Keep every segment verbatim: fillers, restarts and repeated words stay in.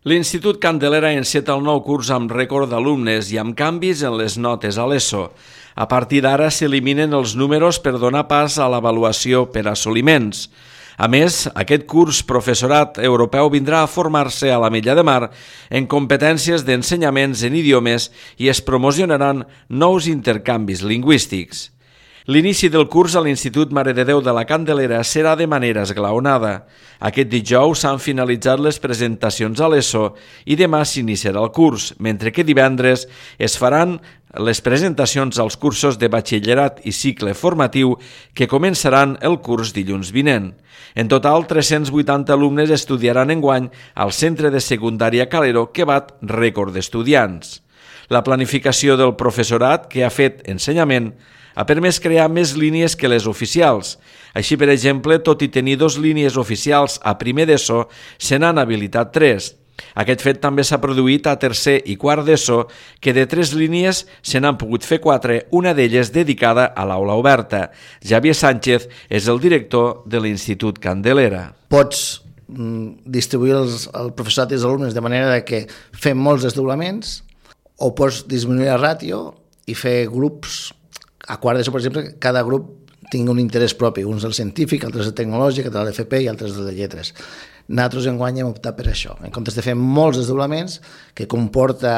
L'Institut Candelera enceta el nou curs amb rècord d'alumnes i amb canvis en les notes a l'ESO. A partir d'ara s'eliminen els números per donar pas a l'avaluació per assoliments. A més, aquest curs professorat europeu vindrà a formar-se a la Milla de Mar en competències d'ensenyaments en idiomes i es promocionaran nous intercanvis lingüístics. L'inici del curs a l'Institut Mare de Déu de la Candelera serà de manera esglaonada. Aquest dijous s'han finalitzat les presentacions a l'ESO i demà s'iniciarà el curs, mentre que divendres es faran les presentacions als cursos de batxillerat i cicle formatiu que començaran el curs dilluns vinent. En total, tres-cents vuitanta alumnes estudiaran enguany al centre de secundària Calero, que bat rècord d'estudiants. La planificació del professorat que ha fet ensenyament ha permès crear més línies que les oficials. Així, per exemple, tot i tenir dos línies oficials a primer d'ESO, se n'han habilitat tres. Aquest fet també s'ha produït a tercer i quart d'ESO, que de tres línies se n'han pogut fer quatre, una d'elles dedicada a l'aula oberta. Javier Sánchez és el director de l'Institut Candelera. Pots distribuir els, el professorat i els alumnes de manera que fem molts desdoblaments, o pots disminuir la ràtio i fer grups. A quart d'ESO, per exemple, cada grup tingui un interès propi, uns del científic, altres del tecnològic, altres de l'F P i altres de lletres. Nosaltres enguany hem optat per això, en comptes de fer molts desdoblaments, que comporta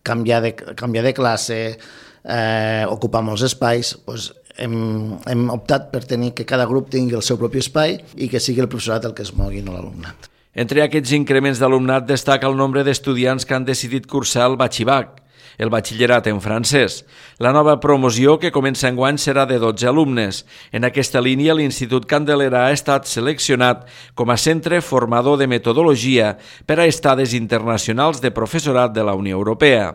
canviar de, canviar de classe, eh, ocupar molts espais, doncs hem, hem optat per tenir que cada grup tingui el seu propi espai i que sigui el professorat el que es mogui, no l'alumnat. Entre aquests increments d'alumnat destaca el nombre d'estudiants que han decidit cursar el batxibac, el batxillerat en francès. La nova promoció que comença enguany serà de dotze alumnes. En aquesta línia, l'Institut Candelera ha estat seleccionat com a centre formador de metodologia per a estades internacionals de professorat de la Unió Europea.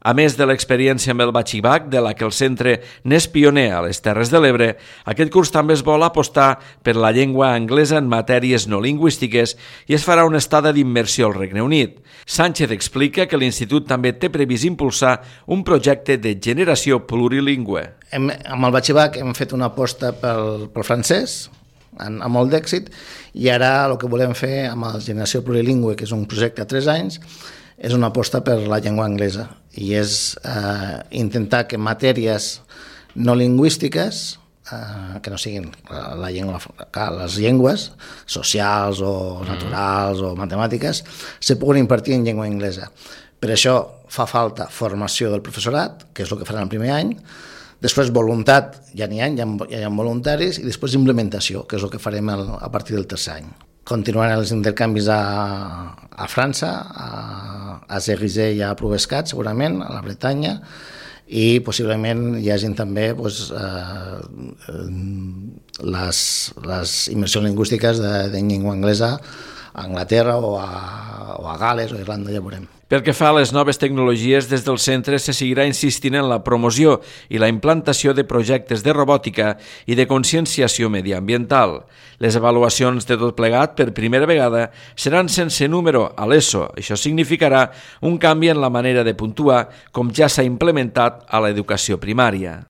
A més de l'experiència amb el batxibac, de la que el centre n'és pioner a les Terres de l'Ebre, aquest curs també es vol apostar per la llengua anglesa en matèries no lingüístiques i es farà una estada d'immersió al Regne Unit. Sánchez explica que l'Institut també té previst impulsar un projecte de generació plurilingüe. Hem, amb el batxibac hem fet una aposta pel, pel francès, amb, amb molt d'èxit, i ara el que volem fer amb la generació plurilingüe, que és un projecte a tres anys, és una aposta per la llengua anglesa i és eh, intentar que matèries no lingüístiques, eh, que no siguin la llengua, les llengües socials o naturals o matemàtiques, se puguin impartir en llengua anglesa. Per això fa falta formació del professorat, que és el que faran el primer any, després voluntat, ja n'hi ha, ja hi ha voluntaris, i després implementació, que és el que farem a partir del tercer any. Continuaran els intercanvis a, a França, a, a Cerizay i a Ploubezcat, segurament, a la Bretanya, i possiblement hi hagin també doncs, eh, les, les immersions lingüístiques de, de llengua anglesa a Anglaterra o a, o a Gales o a Irlanda, ja veurem. Pel que fa a les noves tecnologies, des del centre se seguirà insistint en la promoció i la implantació de projectes de robòtica i de conscienciació mediambiental. Les avaluacions de tot plegat, per primera vegada, seran sense número a l'ESO. Això significarà un canvi en la manera de puntuar, com ja s'ha implementat a l'educació primària.